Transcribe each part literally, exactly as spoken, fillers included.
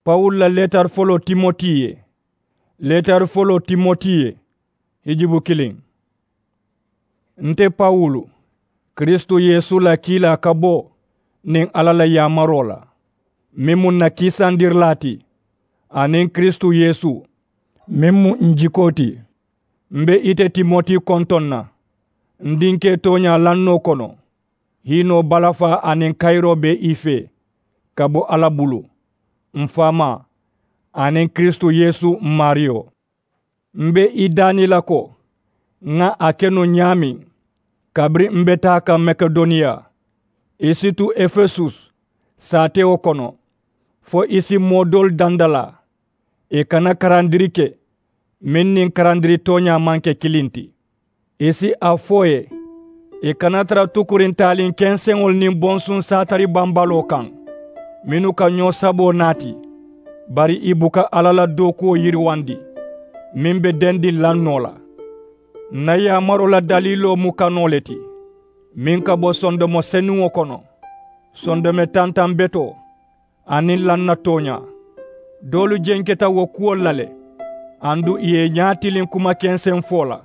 Pawulu la leetari foloo timoti ye. Leetari foloo timoti ye. Hijibu kiliŋ. Nte pawulu, kiristu yeesu la kiilaa ka bo niŋ alla la yaamaroo la, meŋ mu ǹ na kiisandirilaa ti, aniŋ kiristu yeesu, meŋ mu ǹ jikoo ti. M̀ be ite timoti kontoŋ na, ǹ dinkee tooñaa lannoo kono, hiinoo balafaa aniŋ kayiroo be i fee, ka bo alla bulu, m̀ faamaa, aniŋ kiristu yeesu m̀ maariyo. M̀ be i daani la ko, ŋa a ke nuŋ ñaameŋ, kabiriŋ m̀ be taa kaŋ makedoniya, i si tu efesus, saatewo kono, fo i si moo doolu dandalaa, i kana karandiri ke, meŋ niŋ karandiri tooñaa maŋ ke kiliŋ ti. I si a fo i ye, i kana tara tukuriŋ taaliŋ kenseŋolu niŋ bonsuŋ saatari bambaloo kaŋ, mennu ka ñoo saboo naati, bari i buka alla la dookuwo yiriwandi, meŋ be dendiŋ lannoo la. Ǹ na yaamaroo la daliiloo mu kanoo le ti, meŋ ka bo sondomo senuŋo kono, sondome tantaŋ betoo, aniŋ lanna tooñaa. Doolu jenketa wo kuwolu la le, aduŋ ì ye i ñaa tiliŋ kuma kenseŋ fo la.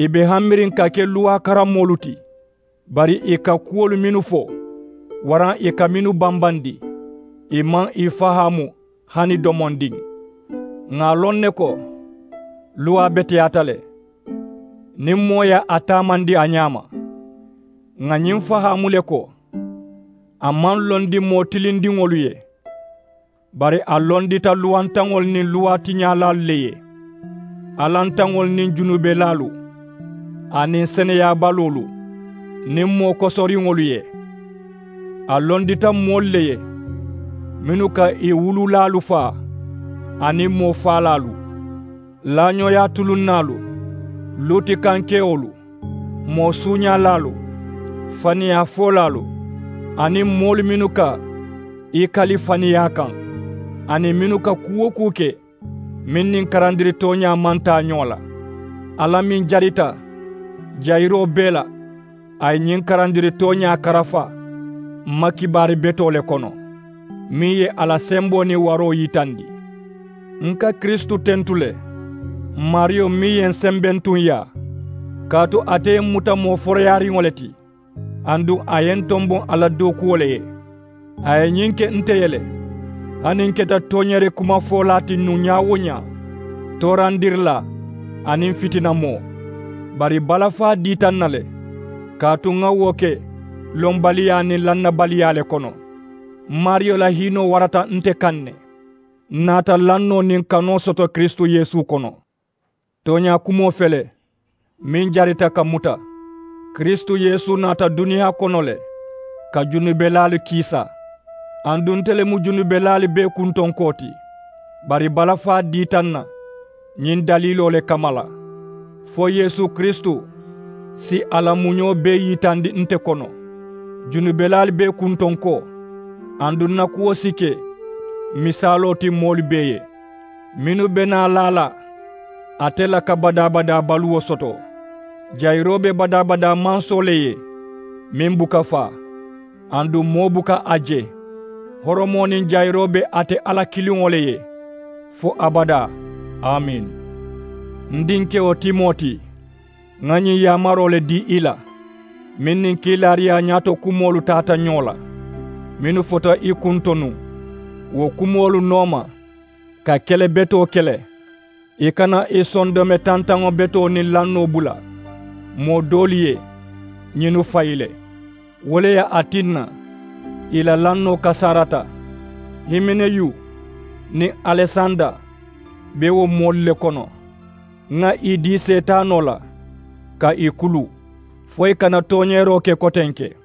Ì be hamiriŋ ka ke luwaa karamoolu ti, bari ì ka kuwolu mennu fo, waraŋ ì ka mennu bambandi, ì maŋ ì fahaamu hani domondiŋ. Ŋà a loŋ ne ko, luwaa beteyaata le, niŋ moo ye a taamandi a ñaama. Ŋà ñiŋ fahaamu le ko, a maŋ londi moo tilindiŋolu ye, bari a londita luwantaŋolu niŋ luwaatiñaalaalu le ye, alantaŋolu niŋ junubelaalu, aniŋ seneyaabaluulu niŋ moo kosoriŋolu ye. A londita moolu le ye, mennu ka ì wululaalu faa, aniŋ moo faalaalu, laañooyaa tulunnaalu, luutikankewolu, moo suuñaalaalu, faniyaa foolaalu, aniŋ moolu mennu ka i kali faniyaa kaŋ, aniŋ mennu ka kuu-wo-kuu ke, meŋ niŋ karandiri tooñaa maŋ taa ñoo la. Alla meŋ jarita jayiroo bee la, a ye ñiŋ karandiri tooñaa karafa m ma kibaari betoo le kono, meŋ ye a la semboo niŋ waroo yitandi. N ka kiristu tentu le, m maariyo meŋ ye n sembentuŋ yaa, kaatu ate ye m muta moo foroyaariŋo le ti, aduŋ a ye n tomboŋ a la dookuwo le ye. A ye ñiŋ ke nte ye le, hani n keta tooñeeri kumafoolaa ti nuŋ ñaa-wo-ñaa, toorandirilaa, aniŋ fitinamoo. Bari balafaa diita n na le, kaatu ŋa wo ke lonbaliyaa niŋ lannabaliyaa le kono. M maariyo la hiinoo warata nte kaŋ ne, n naata lannoo niŋ kanoo soto kiristu yeesu kono. Tooñaa kumoo fele, meŋ jarita ka muta, kiristu yeesu naata duniyaa kono le, ka junubelaalu kiisa. Aduŋ nte le mu junubelaalu bee kuntonkoo ti, bari balafaa diita n na ñiŋ daliiloo le kamma la, fo yeesu kiristu si a la muñoo bee yitandi nte kono, junubelaalu bee kuntonkoo. Aduŋ n na kuwo si ke misaaloo ti moolu bee ye, mennu be naa la a la ate la ka badaa-badaa baluwo soto. Jayiroo be badaa-badaa mansoo le ye, meŋ buka faa, aduŋ moo buka a je. Horomoo niŋ jayiroo be ate alla kiliŋo le ye, fo abadaa. Amiin. N dinkewo timoti, ŋa ñiŋ yaamaroo le dii i la, meŋ niŋ kiilaariyaa ñaato kumoolu taata ñoo la, mennu fota i kuŋ to nuŋ. Wo kumoolu nooma, ka kele betoo kele, i kana i sondome tantaŋo betoo niŋ lannoo bula moo doolu ye, ñinnu fayi le. Wo le ye a tinna i la lannoo kasaarata. Himeneyu niŋ alesanda be wo moolu le kono. Ŋa i dii seetaanoo la, ka i kulu, fo i kana tooñeeroo ke kotenke.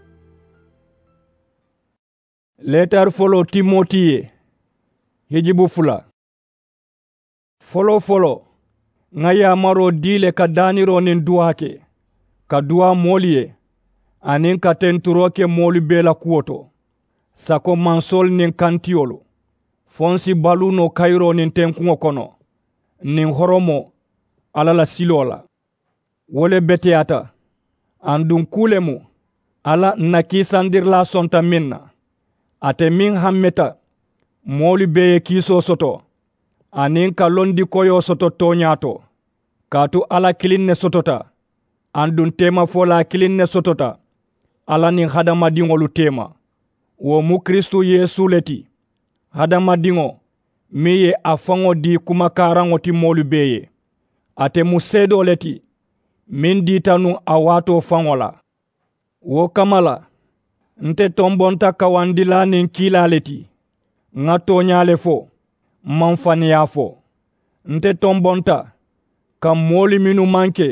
Leetari foloo timoti ye, hijibu fula. Foloo-foloo, ŋa yaamaroo dii le ka daaniroo niŋ duwaa ke, ka duwaa moolu ye, aniŋ ka tenturoo ke moolu bee la kuwo to, sako mansoolu niŋ kantiyolu, fo n si baluu noo kayiroo niŋ tenkuŋo kono, niŋ horomoo alla la siloo la. Wo le beteyaata, aduŋ kuu le mu alla n na kiisandirilaa sonta meŋ na, ate meŋ hammeta Moolu bee ye kiisoo soto aniŋ ka londi koyoo soto tooñaa to. Kaatu alla kiliŋ ne sotota, aduŋ teemafolaa kiliŋ ne sotota alla niŋ hadamadiŋolu teema. Wo mu kiristu yeesu le ti, hadamadiŋo meŋ ye a faŋo dii kumakaaraŋo ti moolu bee ye. Ate mu seedoo le ti meŋ diita nuŋ a waatoo faŋo la. Wo kamma la, nte tombonta kawandilaa niŋ kiilaa le ti. Ŋa tooñaa le fo, m maŋ faniyaa fo. Nte tombonta ka moolu mennu maŋ ke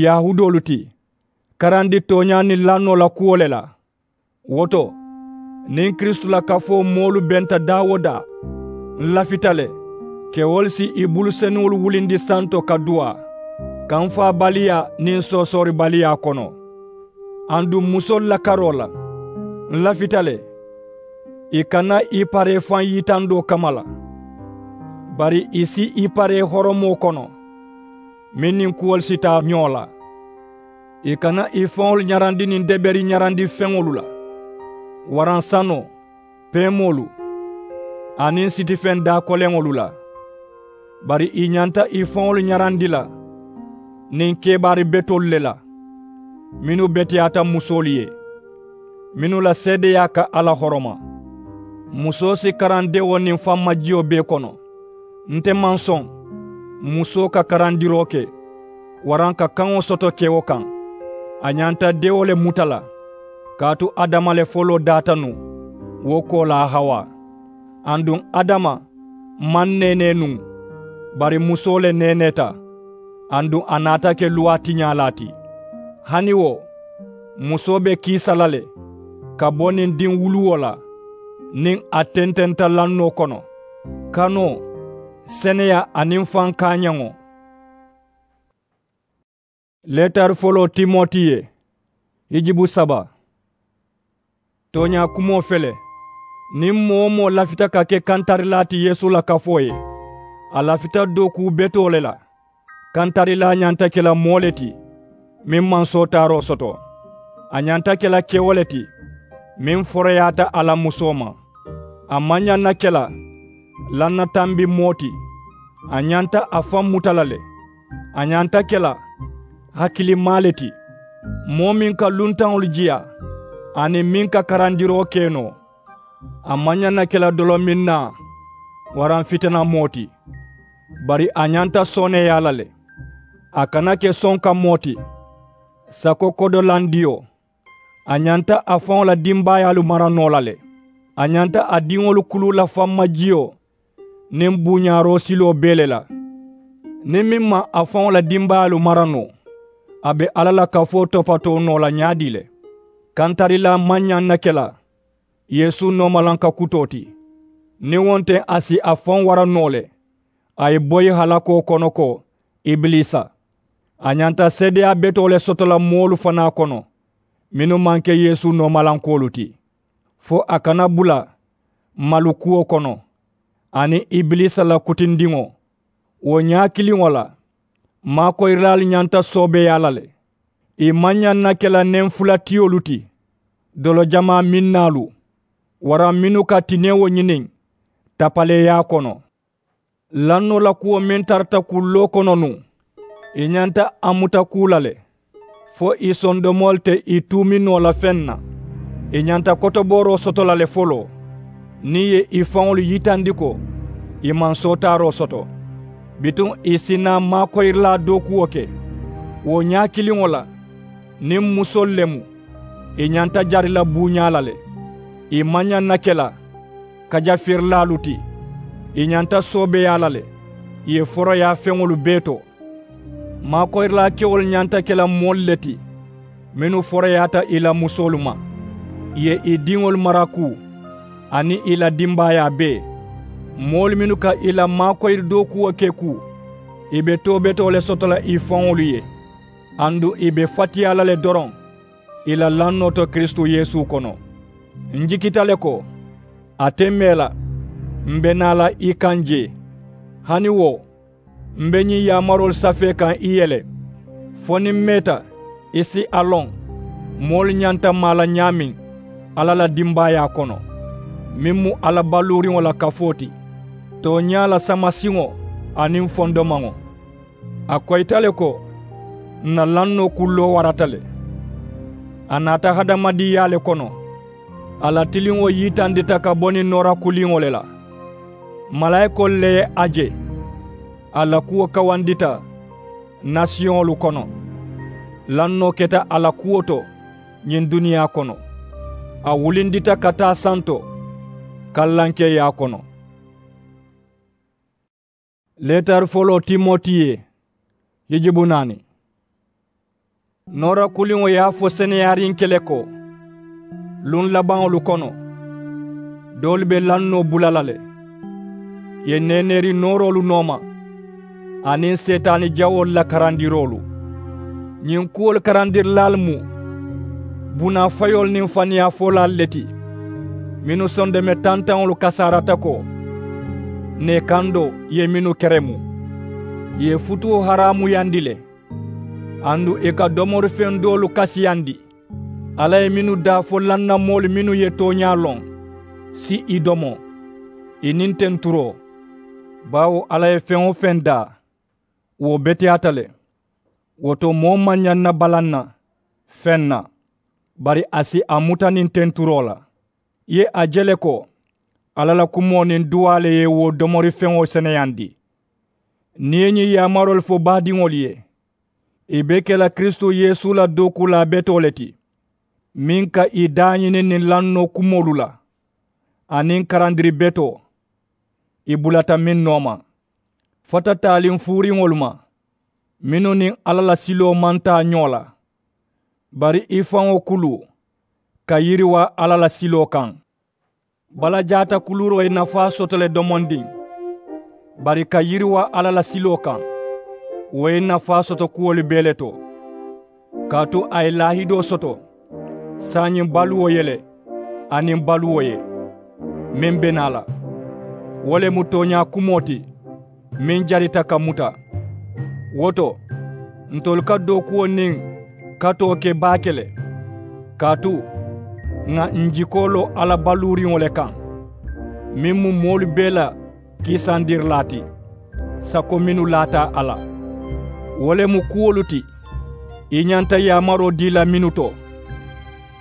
yahuudoolu ti karandi tooñaa niŋ lannoo la kuwo le la. Wo to, niŋ kiristu la kafoo moolu benta daa-wo-daa, n lafita le kewolu si ì bulu senuŋolu wulindi santo ka duwaa, kamfaabaliyaa niŋ soosooribaliyaa kono. Aduŋ musoolu la karoo la, n lafita le ì kana ì paree faŋ yitandoo kamma la, bari ì si ì paree horomoo kono meŋ niŋ kuwolu si taa ñoo la. Ì kana ì faŋolu ñarandi niŋ deberi ñarandi feŋolu la, waraŋ sanoo, peemoolu, aniŋ sitifeŋ daakoleŋolu la. Bari ì ñanta ì faŋolu ñarandi la niŋ kebaari betoolu le la mennu beteyaata musoolu ye, mennu la seedeyaa ka alla horoma. Musoo si karandewo niŋ fammajiyo bee kono. Nte maŋ soŋ musoo ka karandiroo ke waraŋ ka kaŋo soto kewo kaŋ. A ñanta dewo le muta la, kaatu adama le foloo daata nuŋ, wo koolaa hawa. Aduŋ adama maŋ neenee nuŋ, bari musoo le neeneeta, aduŋ a naata ke luwaa tiñaalaa ti. Hani wo, musoo be kiisa la le ka bo niŋ diŋ wuluwo la niŋ a tententa lannoo kono, kanoo, seneyaa aniŋ faŋ kaañaŋo. Leetari foloo timoti ye, hijibu saba. Tooñaa kumoo fele, niŋ moo-wo-moo lafita ka ke kantarilaa ti yeesu la kafoo ye, a lafita dookuu betoo le la. Kantarilaa ñanta ke la moo le ti meŋ maŋ sootaaroo soto. A ñanta ke la kewo le ti meŋ foroyaata a la musoo ma. A maŋ ñaŋ na ke la lannatambi moo ti. A ñanta a faŋ muta la le. A ñanta ke la hakilimaa le ti, moo meŋ ka luntaŋolu jiya aniŋ meŋ ka karandiroo ke noo. A maŋ ñaŋ na ke la dolominnaa waraŋ fitinamoo ti, bari a ñanta sooneeyaa la le. A kana ke sonka moo ti, sako kodolandiyo. A ñanta a faŋo la dimbaayaalu mara noo la le. A ñanta a diŋolu kuluu la fammajiyo niŋ buuñaaroo siloo bee le la. Niŋ meŋ maŋ a faŋo la dimbaayaalu mara noo, a be alla la kafoo topatoo noo la ñaadii le? Kantarilaa maŋ ñaŋ na ke la yeesu noomalanka kutoo ti. Niŋ wo nte a si a faŋ wara noo le, a ye boyi halakoo kono ko ibilisa. A ñanta seedeyaa betoo le soto la moolu fanaa kono mennu maŋ ke yeesu noomalankoolu ti, fo a kana bula malukuwo kono aniŋ ibilisa la kutindiŋo. Wo ñaa kiliŋo la, maakoyirilaalu ñanta soobeeyaa la le. Ì maŋ ñaŋ na ke la neŋ fula tiyolu ti, dolo jamaa minnaalu waraŋ mennu ka tinewo ñiniŋ tapaleeyaa kono. Lannoo la kuwo meŋ tarata kulloo kono nuŋ, ì ñanta a muta kuu la le, fo ì sondomoolu te ì tuumi noo la feŋ na. Ì ñanta kotobooroo soto la le foloo, niŋ ì ye ì faŋolu yitandi ko ì maŋ sootaaroo soto. Bituŋ ì si naa maakoyirilaa dookuwo ke. Wo ñaa kiliŋo la, niŋ musoolu le mu, ì ñanta jari la buuñaa la le. Ì maŋ ñaŋ na ke la kajafirilaalu ti. Ì ñanta soobeeyaa la le, ì ye foroyaa feŋolu bee to. Maakoyirilaa kewolu ñanta ke la moolu le ti mennu foroyaata ì la musoolu ma, ì ye ì diŋolu mara kuu aniŋ ì la dimbaayaa bee. Moolu mennu ka ì la maakoyiri dookuwo ke kuu, ì be too betoo le soto la ì faŋolu ye, aduŋ ì be fatiyaa la le doroŋ ì la lannoo to kiristu yeesu kono. N jikita le ko a te mee la, m be naa la i kaŋ jee. Hani wo, m be ñiŋ yaamaroolu safee kaŋ i ye le, fo niŋ m meeta i si a loŋ moolu ñanta maa la ñaameŋ alla la dimbaayaa kono. meŋ mu alla baluuriŋo la kafoo ti, tooñaa la samasiŋo aniŋ fondomaŋo. A koyita le ko ǹ na lannoo kulloo warata le. A naata hadamadiŋyaa le kono. A la tiliŋo yitandita ka bo niŋ noora kuliŋo le la. Malaayikoolu le ye a je. A la kuwo kawandita nasiyoŋolu kono. Lannoo keta a la kuwo to ñiŋ duniyaa kono. A wulindita ka taa santo kallankeeyaa kono. Leetari foloo timoti ye hijibu naani. Noora kuliŋo ye a fo seneyaariŋ ke le ko, luŋ labaŋolu kono doolu be lannoo bula la le. Ì ye neeneeri nooroolu nooma aniŋ seetaani jawoolu la karandiroolu. Ñiŋ kuwolu karandirilaalu mu bunaa fayoolu niŋ faniyaafoolaalu le ti, mennu sondeme tantaŋolu kasaarata ko, neekandoo ye mennu keremu, ì ye futuo haraamuyandi le. Aduŋ ì ka domorifeŋ doolu kasiyandi. Alla ye mennu daa fo lannamoolu mennu ye tooñaa loŋ si ì domo, ì niŋ tenturoo. Baawo alla ye feŋ-wo-feŋ daa, wo beteyaata le. Wo to moo maŋ ñaŋ na balaŋ na feŋ na, bari a si a muta niŋ tenturoo la. Ì ye a je le ko alla la kumoo niŋ duwaa le ye wo domorifeŋo seneyandi. Niŋ ì ye ñiŋ yaamaroolu fo baadiŋolu ye, ì be ke la kiristu yeesu la dookuulaa betoo le ti, meŋ ka ì daañini niŋ lannoo kumoolu la aniŋ karandiri betoo. Ì bulata meŋ nooma fata taaliŋ fuuriŋolu ma, mennu niŋ alla la siloo maŋ taa ñoo la, bari i faŋo kulu ka yiriwaa alla la siloo kaŋ. Balajaata kuluuroo ye nafaa soto le domondiŋ, bari ka yiriwaa alla la siloo kaŋ, wo ye nafaa soto kuwolu bee le to. Kaatu a ye laahidoo soto saayiŋ baluwo ye le aniŋ baluwo ye meŋ be naa la. Wo le mu tooñaa kumoo ti meŋ jarita ka muta. Wo to, ntolu ka dookuwo niŋ katoo ke baake le. Kaatu ŋà ǹ jikoo loŋ alla baluuriŋo le kaŋ, meŋ mu moolu bee la kiisandirilaa ti, sako mennu laata a la. Wo le mu kuwolu ti ì ñanta yaamaroo dii la mennu to,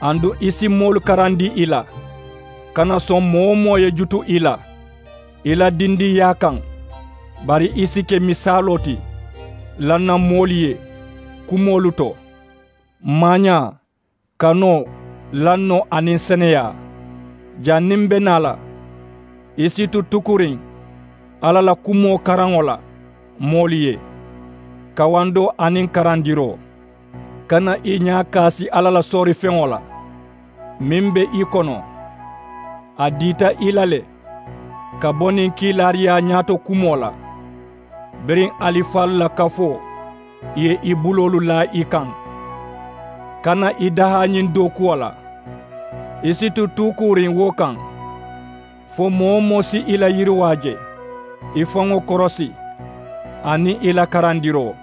aduŋ ì si moolu karandi ì la. Kana soŋ moo-wo-moo ye jutu ì la ì la dindiŋyaa kaŋ, bari ì si ke misaaloo ti lannamoolu ye kumoolu to, maañaa, kanoo, lannoo aniŋ seneyaa. Janniŋ m be naa la, ì si tu tukuriŋ alla la kumoo karaŋo la moolu ye, kawandoo aniŋ karandiroo. Kana ì ñaa kaasi alla la soorifeŋo la meŋ be ì kono. A diita ì la le ka bo niŋ kiilaariyaa ñaato kumoo la, biriŋ alifaalu la kafoo ye ì buloolu laa ì kaŋ. Kana ì dahaa ñiŋ dookuwo la. Ì si tu tuukuuriŋ wo kaŋ, fo moo-wo-moo si ì la yiriwaa je, ì faŋo korosi aniŋ ì la karandiroo.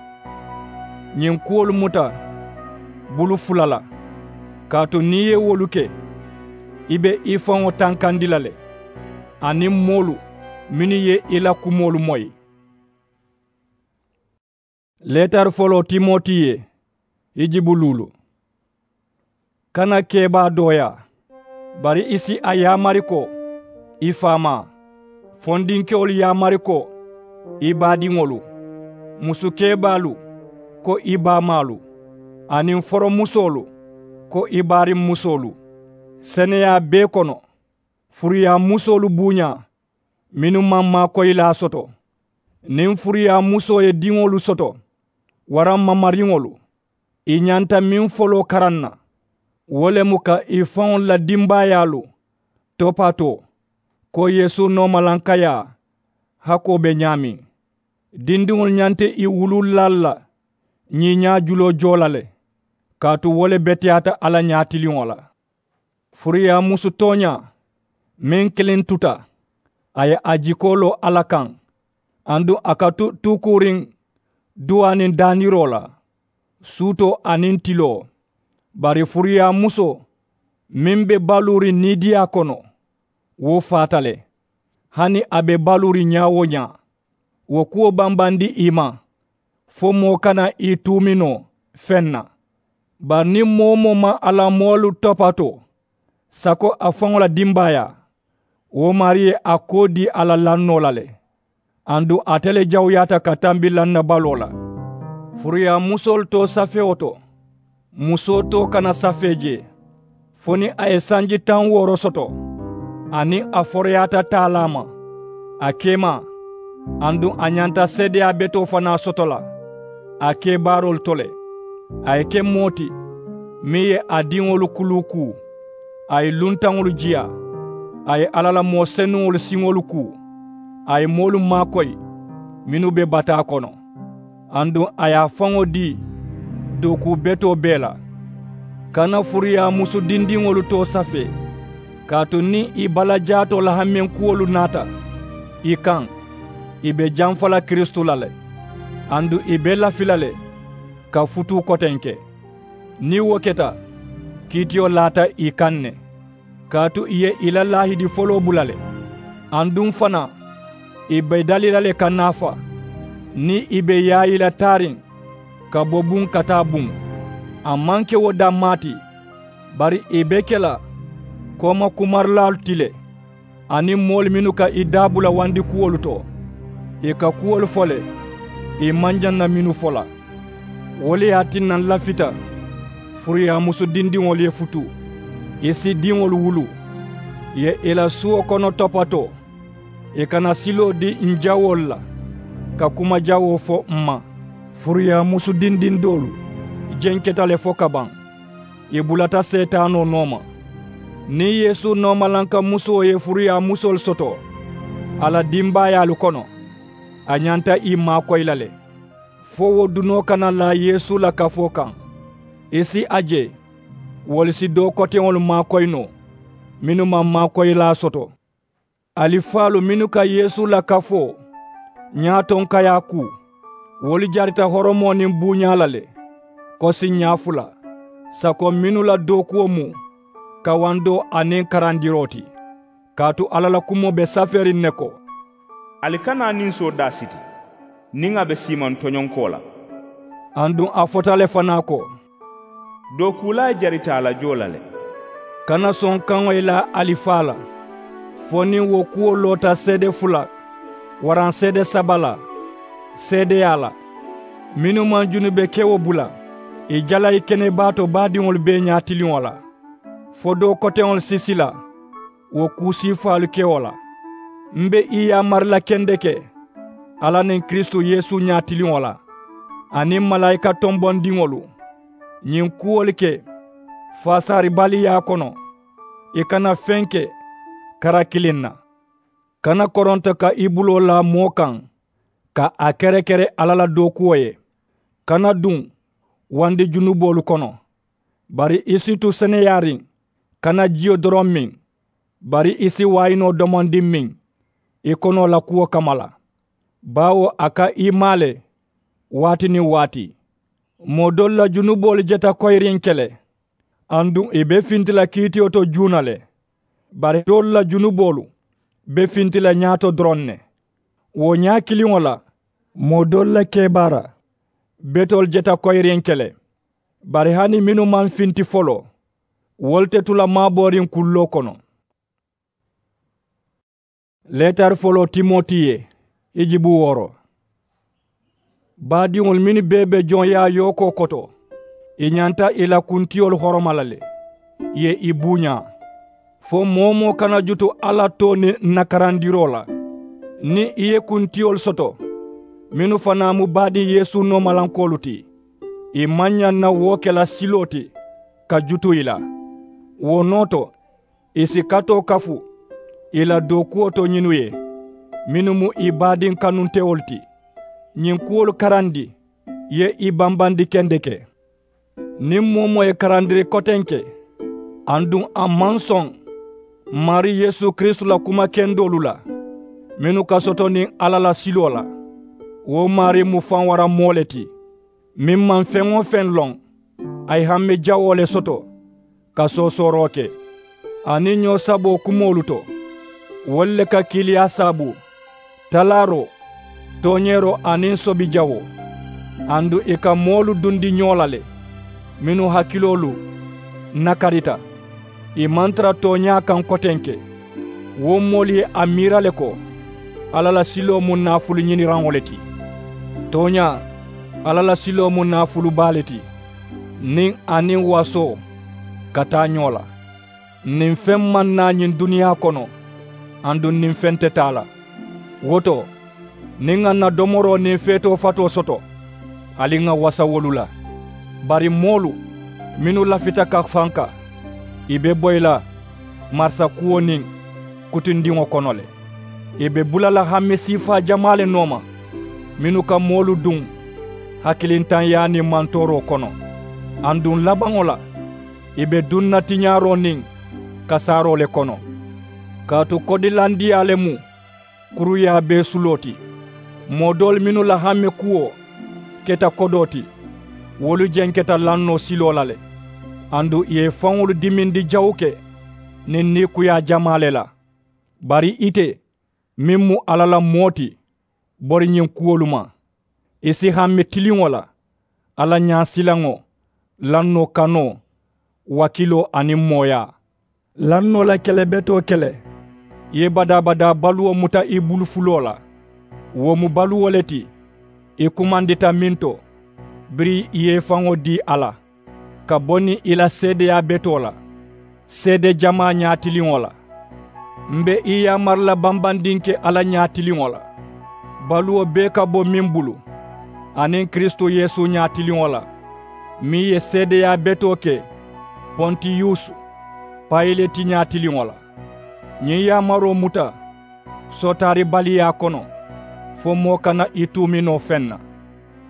Ñiŋ kuwolu muta bulu fula la, kaatu niŋ ì ye wolu ke, ì be ì faŋo tankandi la le aniŋ moolu mennu ye ì la kumoolu moyi. Leetari foloo timoti ye hijibu luulu. Kana kebaa dooyaa, bari ì si a yaamari ko ì faamaa, fondinkewolu yaamari ko ì baadiŋolu, musu kebaalu ko ì baamaalu, aniŋ foromusoolu ko ì baariŋ musoolu, seneyaa bee kono, furuyaamusoolu buuñaa mennu maŋ maakoyilaa soto, niŋ furuyaamusoo ye diŋolu soto waraŋ mamariŋolu. Ì ñanta meŋ foloo karaŋ na, wo le mu ka ì faŋolu la dimbaayaalu topatoo ko yeesu noomalaŋ kayaa hakoo be ñaameŋ. Dindiŋolu ñanta ì wuluululaalu la ñiiñaa juloo joo la le, kaatu wo le beteyaata alla ñaatiliŋo la. Furuyaamusu tooñaa meŋ kiliŋ tuta, a ye a jikoo loo alla kaŋ, aduŋ a ka tu tuukuuriŋ duwaa niŋ daaniroo la, suutoo aniŋ tiloo. Bari furuyaamusoo meŋ be baluuriŋ niidiyaa kono, Wo faata le. Hani a be baluuriŋ ñaa-wo-ñaa, wo kuwo bambandi ì ma, fo moo kana ì tuumi noo feŋ na. Bari niŋ moo-wo-moo maŋ a la moolu topatoo sako a faŋo la dimbaayaa, wo maarii ye a koo dii a la lannoo la le. Aduŋ ate le jawuyaata ka tambi lannabaloo la. Furuyaamusoolu too safewo to, musoo too kana safee jee, fo niŋ a ye sanji taŋ wooro soto, aniŋ a foroyaata taalaa ma, a keemaa, aduŋ a ñanta seedeyaa betoo fanaa soto la a kebaaroolu to le. A ye ke moo ti meŋ ye a diŋolu kuluu kuu, a ye luntaŋolu jiyaa, a ye alla la moo senuŋolu siŋolu kuu, a ye moolu maakoyi mennu be bataa kono, aduŋ a ye a faŋo dii dookuu betoo bee la. Kana furuyaamusu dindiŋolu too safee, kaatu niŋ ì balajaatoo la hamenkuwolu naata ì kaŋ, ì be jamfa la kiristu la le, aduŋ ì be lafi la le ka futuu kotenke. Niŋ wo keta, kiitiyo laata ì kaŋ ne, kaatu ì ye ì la laahidi foloo bula le. Aduŋ fanaa, ì be dali la le ka naafa niŋ ì be yaayi la taariŋ ka bo buŋ ka taa buŋ. A maŋ ke wo dammaa ti, bari ì be ke la kooma kumarilaalu ti le, aniŋ moolu mennu ka ì daabula wandikuwolu to, ì ka kuwolu fo le ì maŋ ñaŋ na mennu fo la. Wo le ye a tinna n lafita furuyaamusu dindiŋolu ye futu, ì si diŋolu wulu, ì ye ì la suwo kono topatoo, ì kana siloo dii n jawoolu la ka kuma jawoo fo m ma. Furuyaamusu dindiŋ doolu jenketa le fo kabaŋ, ì bulata seetaanoo nooma. Niŋ yeesu noomalankamusoo ye furuyaamusoolu soto a la dimbaayaalu kono, a ñanta ì maakoyi la le, fo wo dunoo kana laa yeesu la kafoo kaŋ. Ì si a je wolu si doo koteŋolu maakoyi noo mennu maŋ maakoyilaa soto. Alifaalu mennu ka yeesu la kafoo ñaatonkayaa kuu, wolu jarita horomoo niŋ buuñaa la le, kosiñaa fula sako mennu la dookuwo mu kawandoo aniŋ karandiroo ti. Kaatu alla la kumoo be safeeriŋ ne ko, ali kana a ninsoo daa siti niŋ a be siimaŋ toñonkoo la. Aduŋ a fota le fanaa ko, dookuulaa jarita a la joo la le. Kana sonkaŋo ye laa alifaa la fo niŋ wo kuwo loota seede fula waraŋ seede saba la seedeyaa la, mennu maŋ junube kewo bula ì jalayi kenebaato baadiŋolu bee ñaatiliŋo la, fo doo koteŋolu si sila wo kuu siifaalu kewo la. M be ì yaamari la kendeke alla niŋ kiristu yeesu ñaatiliŋo la, aniŋ malaayika tombondiŋolu, ñiŋ kuwolu ke faasaaribaliyaa kono. Ì kana feŋ ke kara kiliŋ na. Kana koronto ka i buloo laa moo kaŋ ka a kerekere alla la dookuwo ye. Kana duŋ wandi junuboolu kono. Bari i si tu seneyaariŋ, kana jiyo doroŋ miŋ, bari i si waayinoo domondi miŋ i konoo la kuwo kamma la. Baawo a ka i maa le waati niŋ waati. Moo doolu la junuboolu jeta koyiriŋ ke le, aduŋ ì be finti la kiitiyo to juuna le. Bari doolu la junuboolu be finti la ñaato doroŋ ne. Wo ñaa kiliŋo la, moo doolu la kebaara betoolu jeta koyiriŋ ke le. Bari hani mennu maŋ finti foloo, wolu te tu la maabooriŋ kulloo kono. Leetari foloo timoti ye, i jibu wooro. Baadiŋolu mennu bee be joŋ yaa yookoo koto, ì ñanta ì la kuntiyolu horoma la le, ì ye ì buuñaa. Fo moo-wo-moo kana jutu alla too niŋ n na karandiroo la. Niŋ i ye kuntiyolu soto mennu fanaa mu baadiŋ yeesu noomalankoolu ti, ì maŋ ñaŋ na wo ke la siloo ti ka jutu ì la. Wo noo to, ì si katoo kafu ì la dookuwo to ñinnu ye, mennu mu ì baadiŋ kanuntewolu ti. Ñiŋ kuwolu karandi ye ì bambandi kendeke. Niŋ moo-wo-moo ye karandiri kotenke aduŋ a maŋ soŋ n maarii yeesu kiristu la kuma kendoolu la, mennu ka soto niŋ alla la siloo la, wo maarii mu fanwara moo le ti, meŋ maŋ feŋ-wo-feŋ loŋ. A ye hamme jawoo le soto ka soosooroo ke aniŋ ñoo saboo kumoolu to. Wolu le ka kiiliyaa saabu, talaaroo, tooñeeroo aniŋ sobijawoo. Aduŋ ì ka moolu dundi ñoo la le, mennu hakiloolu nakarita, ì maŋ tara tooñaa kaŋ kotenke. Wo moolu ye a miira le ko alla la siloo mu naafulu ñiniraŋo le ti. Tooñaa, alla la siloo mu naafulu baa le ti, niŋ a niŋ wasoo ka taa ñoo la. Niŋ feŋ maŋ naa ñiŋ duniyaa kono, aduŋ niŋ feŋ te taa la. Wo to, niŋ ŋà ǹ na domoroo niŋ feetoo fatoo soto, ali ŋà wasa wolu la. Bari moolu mennu lafita ka fanka, ì be boyi la marisa kuwo niŋ kutindiŋo kono le. Ì be bula la hamme siifaa jamaa le nooma, mennu ka moolu duŋ hakilintanyaa niŋ mantooroo kono. Aduŋ labaŋo la, ì be duŋ na tiñaaroo niŋ kasaaroo le kono. Kaatu kodilandiyaa le mu kuruyaa bee suloo ti. Moo doolu mennu la hamme kuwo keta kodoo ti, wolu jenketa lannoo siloo la le. Aduŋ ì ye ì faŋolu dimindi jawuke niŋ niikuyaa jamaa le la. Bari ite, meŋ mu alla la moo ti, bori ñiŋ kuwolu ma. Ì si hamme tiliŋo la, alla ñaasilaŋo, lannoo kanoo, wakkiloo aniŋ mooyaa. Lannoo la kele betoo kele, ì ye badaa-badaa baluwo muta ì bulu fuloo la. Wo mu baluwo le ti ì kumandita meŋ to, biriŋ ì ye ì faŋo dii a la ka bo niŋ ì la seedeyaa betoo la seede jamaa ñaatiliŋo la. M be ì yaamari la bambandinke alla ñaatiliŋo la, baluwo bee ka bo meŋ bulu, aniŋ kiristu yeesu ñaatiliŋo la, meŋ ye seedeyaa betoo ke pontiyusu payileti ñaatiliŋo la. Ñiŋ yaamaroo muta sootaaribaliyaa kono, fo moo kana ì tuumi noo feŋ na.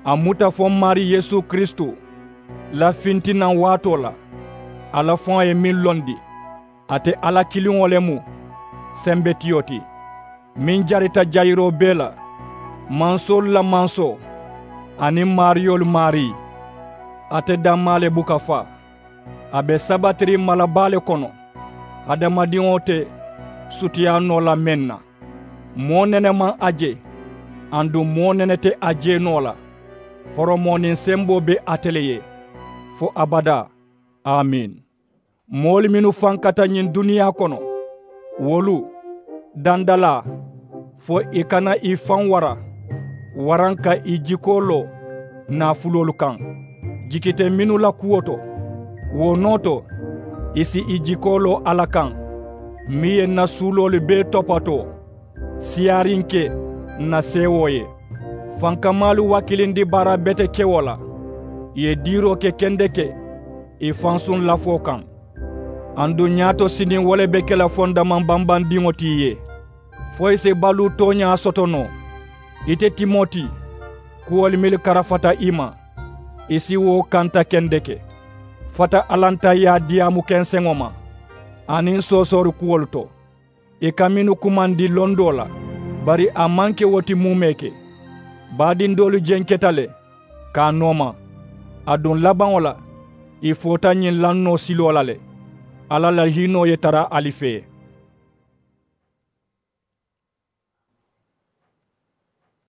A muta fo m maarii yeesu kiristu la fintinaŋ waatoo la, alla faŋo ye meŋ londi, ate alla kiliŋo le mu sembetiyo ti, meŋ jarita jayiroo bee la, mansoolu la mansoo aniŋ maariyoolu maarii. Ate dammaa le buka faa. A be sabatiriŋ mala baa le kono, hadamadiŋo te sutiyaa noo la meŋ na. Moo nene maŋ a je, aduŋ moo nene te a je noo la. Horomoo niŋ semboo be ate le ye, fo abadaa. Amiin. Moolu mennu fankata ñiŋ duniyaa kono, wolu dandalaa, fo ì kana ì faŋ wara, waraŋ ka ì jikoo loo naafuloolu kaŋ, jikite mennu la kuwo to. Wo noo to, ì si ì jikoo loo alla kaŋ, meŋ ye ǹ na suuloolu bee topatoo siyaariŋ ke ǹ na seewoo ye. Fankamaalu wakilindi baara betekewo la, ì ye diiroo ke kendeke ì fansuŋ lafoo kaŋ. Aduŋ ñaato siniŋ wo le be ke la fondamaŋ bambandiŋo ti ì ye, fo ì si baluu tooñaa soto noo. Ite timoti, kuwolu mennu karafata i ma, i si wo kanta kendeke. Fata alantayyaa diyaamu kenseŋo ma aniŋ soosoori kuwolu to. Ì ka mennu kumandi londoo la, bari a maŋ ke wo ti muumee ke. Baadiŋ doolu jenketa le ka a nooma. Aduŋ labaŋo la, ì foota ñiŋ lannoo siloo la le. Alla la hiinoo ye tara ali fee.